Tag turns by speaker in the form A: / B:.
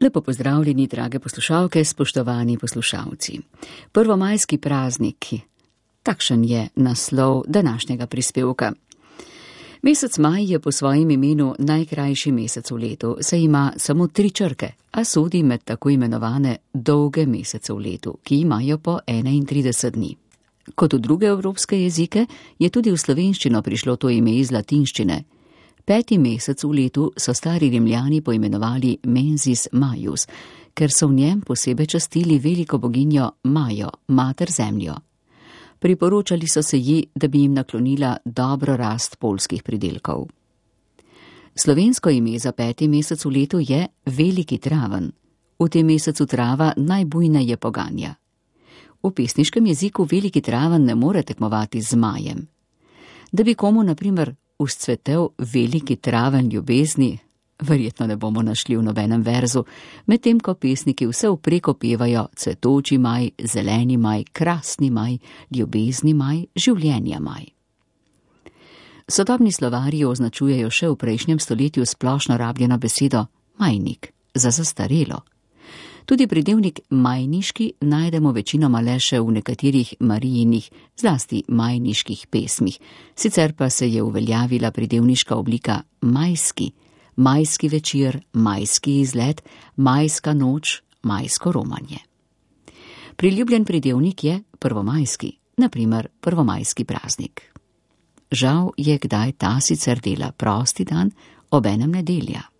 A: Lepo pozdravljeni, drage poslušalke, spoštovani poslušalci. Prvomajski prazniki. Takšen je naslov današnjega prispevka. Mesec maj je po svojem imenu najkrajši mesec v letu, saj ima samo 3 črke, a sodi med tako imenovane dolge mesece v letu, ki imajo po 31 dni. Kot v druge evropske jezike je tudi v slovenščino prišlo to ime iz latinščine. 5. mesec v letu so stari Rimljani poimenovali Mensis Maius, ker so v njem posebej častili veliko boginjo Majo, mater zemljo. Priporočali so se ji, da bi jim naklonila dobro rast poljskih pridelkov. Slovensko ime za 5. mesec v letu je Veliki traven. V tem mesecu trava najbujneje poganja. V pesniškem jeziku Veliki traven ne more tekmovati z majem. Da bi komu, na primer, vzcvetel veliki traven ljubezni, verjetno ne bomo našli v nobenem verzu, medtem ko pesniki vse vprek opevajo cvetoči maj, zeleni maj, krasni maj, ljubezni maj, življenja maj. Sodobni slovarji označujejo še v prejšnjem stoletju splošno rabljeno besedo majnik, za zastarelo. Tudi pridevnik majniški najdemo večinoma le še v nekaterih Marijinih, zlasti majniških pesmih, sicer pa se je uveljavila pridevniška oblika majski, majski večer, majski izlet, majska noč, majsko romanje. Priljubljen pridevnik je prvomajski, na primer prvomajski praznik. Žal je kdaj ta sicer dela prosti dan, obenem nedelja.